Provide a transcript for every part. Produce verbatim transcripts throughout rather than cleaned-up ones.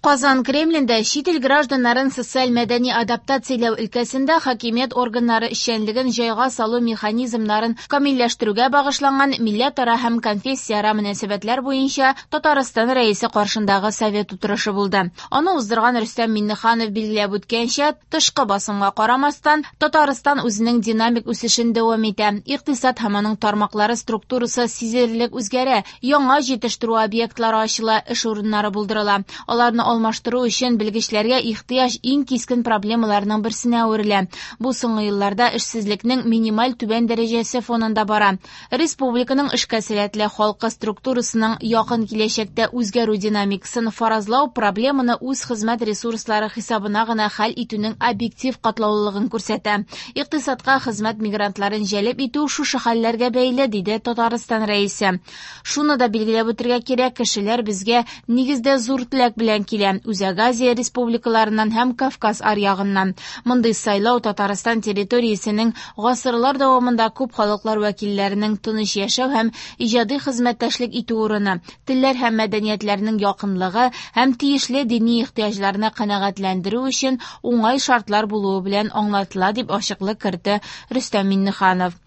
Казан Кремлендә чит ил гражданнарын социаль-мәдәни адаптацияләү өлкәсендә хакимият органнары эшчәнлеген җайга салу механизмнарын камилләштерүгә багышланган милләтара һәм конфессияара мөнәсәбәтләр буенча Татарстан Рәисе каршындагы совет утырышы булды. Аны уздырган Рөстәм Миңнеханов билгеләп үткәнчә, тышкы басымга карамастан, Татарстан үзенең динамик үсешен дәвам итә. Икътисад һәм аның тармаклары структурасы сизелерлек үзгәрә, яңа җитештерү объектлары ачыла, эш урыннары булдырыла. Аларны алмаштыру өчен белгечләргә ихтыяҗ иң кискен проблемаларның берсенә әверелә. Бу соңгы елларда эшсезлекнең минималь түбән дәрәҗәсе фонында бара. Республиканың эшкә сәләтле халкы структурасының якын киләчәктә үзгәрү динамикасын фаразлау проблеманы үз хезмәт ресурслары хисабына гына хәл итүнең объектив катлаулылыгын күрсәтә. Икътисадка хезмәт мигрантларын җәлеп итү шушы хәлләргә бәйле, диде Татарстан Рәисе. Шуны да билгеләп үтергә кирәк, кешеләр безгә нигездә зур теләк белән килә. Үзәк Азия республикаларыннан һәм Кавказ аръягыннан. Мондый сайлау Татарстан территориясенең гасырлар дәвамында күп халыклар вәкилләренең тыныч яшәү һәм иҗади хезмәттәшлек итү урыны, телләр һәм мәдәниятләрнең якынлыгы һәм тиешле дини ихтыяҗларны канәгатьләндерү өчен уңай шартлар булуы белән аңлатыла, дип ачыклык кертте Рөстәм Миңнеханов.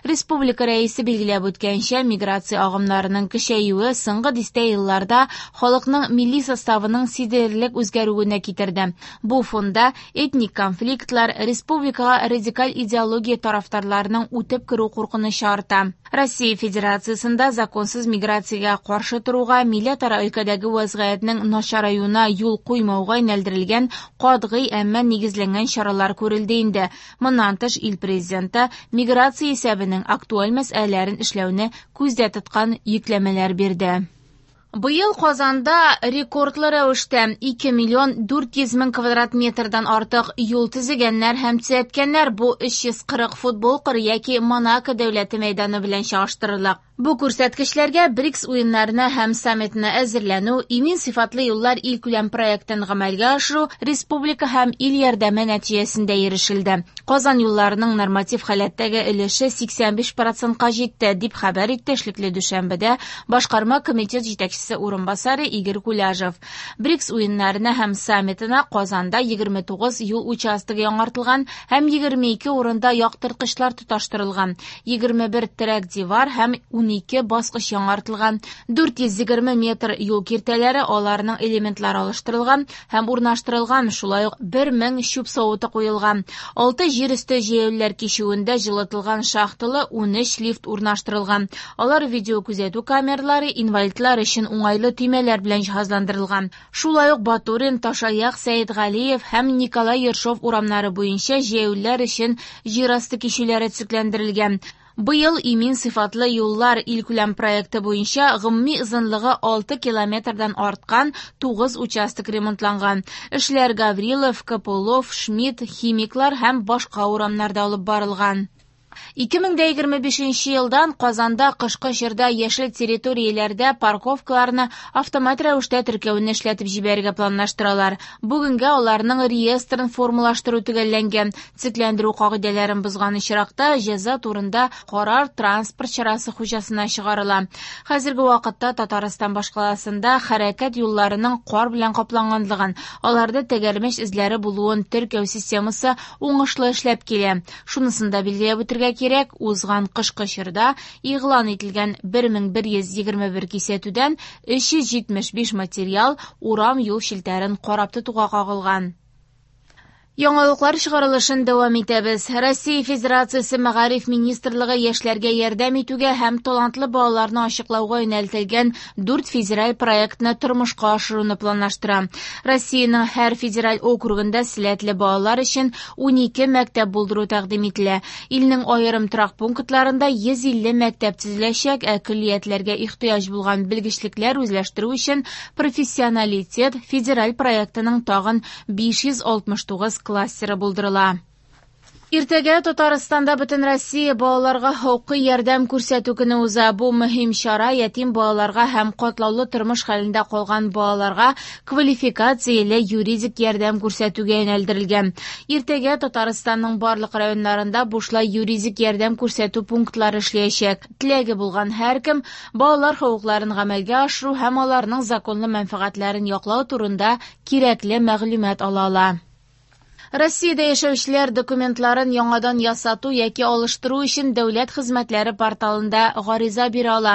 Республика Рәисе билгеләп үткәнчә, миграция агымнарының көчәюе соңгы дистә елларда халыкның милли составының сизелерлек үзгәрүенә китерде. Бу фонда этник конфликтлар, республикага радикаль идеология тарафдарларының үтеп керү куркынычы арта. Россия Федерациясендә законсыз миграциягә каршы торуга, милләтара өлкәдәге вазгыятьнең начараюына юл куймауга юнәлдерелгән катгый, әмма нигезләнгән чаралар күрелде инде. Моннан тыш, ил президенты миграция исәбенең актуаль мәсьәләләрен эшләүне күздә тоткан йөкләмәләр бирде. Быел Казанда рекордлы рәвештә ике миллион дүрт йөз мең квадрат метрдан артык юл төзегәннәр һәм төзәткәннәр. Бу өч йөз кырык футбол кыры яки Монако дәүләте мәйданы белән чагыштырырлык. Бу күрсәткечләргә БРИКС уеннарына һәм саммитына әзерләнү, имин сыйфатлы юллар илкүләм проектын гамәлгә ашыру, республика һәм ил ярдәме нәтиҗәсендә ирешелде. Казан юлларының норматив халәттәге өлеше сиксән биш процентка җитте, дип хәбәр итте эшлекле дүшәмбедә башкарма комитет җитәкчесе урынбасары Игорь Куляжев. БРИКС уеннарына һәм саммитына Казанда егерме тугыз юл участогы яңартылган һәм егерме ике урында яктырткычлар тоташтырылган, егерме бер терәк дивар һәм ун ике баскыч яңартылган, дүрт йөз егерме метр юл киртәләре, аларның элементлары алыштырылган һәм урнаштырылган, шулай ук бер мең чүп савыты куелган. Алты җир өсте җәяүлеләр кичүендә җылытылган шахталы ун өч лифт урнаштырылган. Алар видеокүзәтү камералары, инвалидлар өчен уңайлы төймәләр белән җиһазландырылган. Шулай ук Батурин, Ташаяк, Сәетгалиев һәм Николай Ершов урамнары буенча җәяүлеләр өчен җир асты кичүләре төзекләндерелгән. Быел имин сыйфатлы юллар илкүләм проекты буенча гомуми озынлыгы алты километрдан арткан тугыз участок ремонтланган. Эшләр Гаврилов, Копылов, Шмидт, Химиклар һәм башка урамнарда алып барылган. Ике мең дә егерме бишенче елдан Казанда кышкы чорда яшел территорияләрдә парковкаларны автомат рәвештә теркәүне эшләтеп җибәрергә планлаштыралар. Бүгенгә аларның реестрын формалаштыру төгәлләнгән. Төзекләндерү кагыйдәләрен бозган очракта җәза турында карар транспорт чарасы хуҗасына чыгарыла. Хәзерге вакытта Татарстан башкаласында хәрәкәт юлларының кар белән капланганлыгын, аларда тәгәрмәч эзләре булуын теркәү системасы уңышлы эшләп килә. Шунысын да билгеләп үтергә кирәк, узган кышкы чорда игълан ителгән бер мең бер йөз егерме бер кисәтүдән өч йөз җитмеш биш материал урам юл челтәрен карап тотуга кагылган. Яңалыклар чыгарылышын дәвам итәбез. Россия Федерациясе Мәгариф Министрлыгы яшьләргә ярдәм итүгә һәм талантлы балаларны ачыклауга юнәлтелгән дүрт федераль проектны тормышка ашыруны планлаштыра. Россиянең һәр федераль округында сәләтле балалар өчен унике мәктәп булдыру тәкъдим ителә. Илнең аерым торак пунктларында йөз илле мәктәп төзеләчәк, ә көллиятләргә ихтыяҗ булган белгечлекләр үзләштерү өчен профессионалитет федераль проектының тагын биш йөз алтмыш тугыз кластеры булдырыла. Иртәгә Татарстанда Бөтенроссия балаларга хокукый ярдәм күрсәтү көне уза. Бу мөһим чара ятим балаларга һәм катлаулы тормыш хәлендә калган балаларга квалификацияле юридик ярдәм күрсәтүгә юнәлдерелгән. Иртәгә Татарстанның барлык районнарында бушлай юридик ярдәм күрсәтү пунктлары эшләячәк. Теләге булган һәркем балалар хокукларын гамәлгә ашыру һәм аларның законлы мәнфәгатьләрен яклау турында кирәкле мәгълүмат ала ала. Россиядә яшәүчеләр документларын яңадан ясату яки алыштыру өчен дәүләт хезмәтләре порталында гариза бирә ала.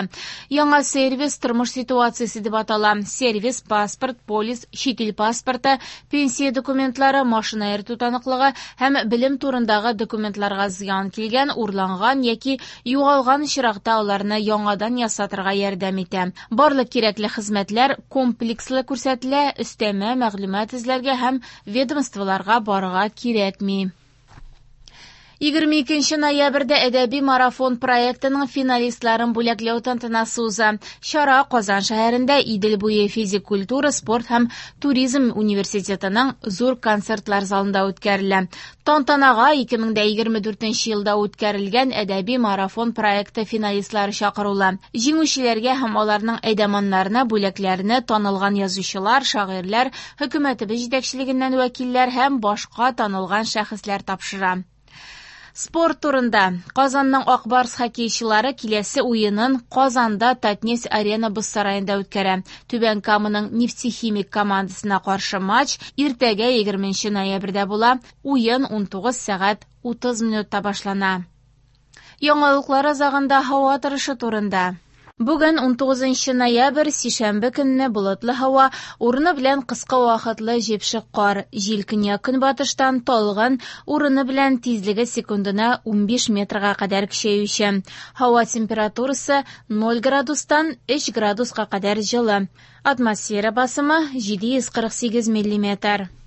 Яңа сервис тормыш ситуациясе дип атала. Сервис паспорт, полис, чит ил паспорты, пенсия документлары, машина йөртү таныклыгы һәм белем турындагы документларга зыян килгән, урланган яки югалган очракта аларны яңадан ясатырга ярдәм итә. Барлык кирәкле хезмәтләр комплекслы күрсәтелә, өстәмә мәгълүмат эзләргә һәм ведомстволарга барырга кирәкми. Егерме икенче ноябрьдә әдәби марафон проектының финалистларын бүләкләү тантанасы уза. Чара Казан шәһәрендә Идел буе физик культура, спорт һәм туризм университетының зур концертлар залында үткәрелә. Тантанага ике мең дә егерме дүртенче елда үткәрелгән әдәби марафон проекты финалистлары чакырыла. Җиңүчеләргә һәм аларның әйдаманнарына бүләкләрне танылган язучылар, шагыйрьләр, хөкүмәтебез җитәкчелегеннән вәкилләр һәм башка танылган шәхесләр тапшыра. Спорт турында. Казанның Ак Барс хоккейчылары киләсе уенын Казанда Татнефть Арена боз сараенда үткәрә. Түбән Каманың Нефтехимик командасына каршы матч иртәгә егерменче ноябрьдә була. Уен унтугыз сәгать утыз минутта башлана. Яңалыклар азагында һава торышы турында. Бүген унтугызынчы ноябрь, сишәмбе көнне болытлы һава, урыны белән кыска вакытлы җепшек кар, җил көньяк-көнбатыштан талгын, урыны белән тизлеге секундына унбиш метрга кадәр көчәюче. Һава температурасы ноль градустан өч градуска кадәр җылы. Атмосфера басымы җиде йөз кырык сигез миллиметр.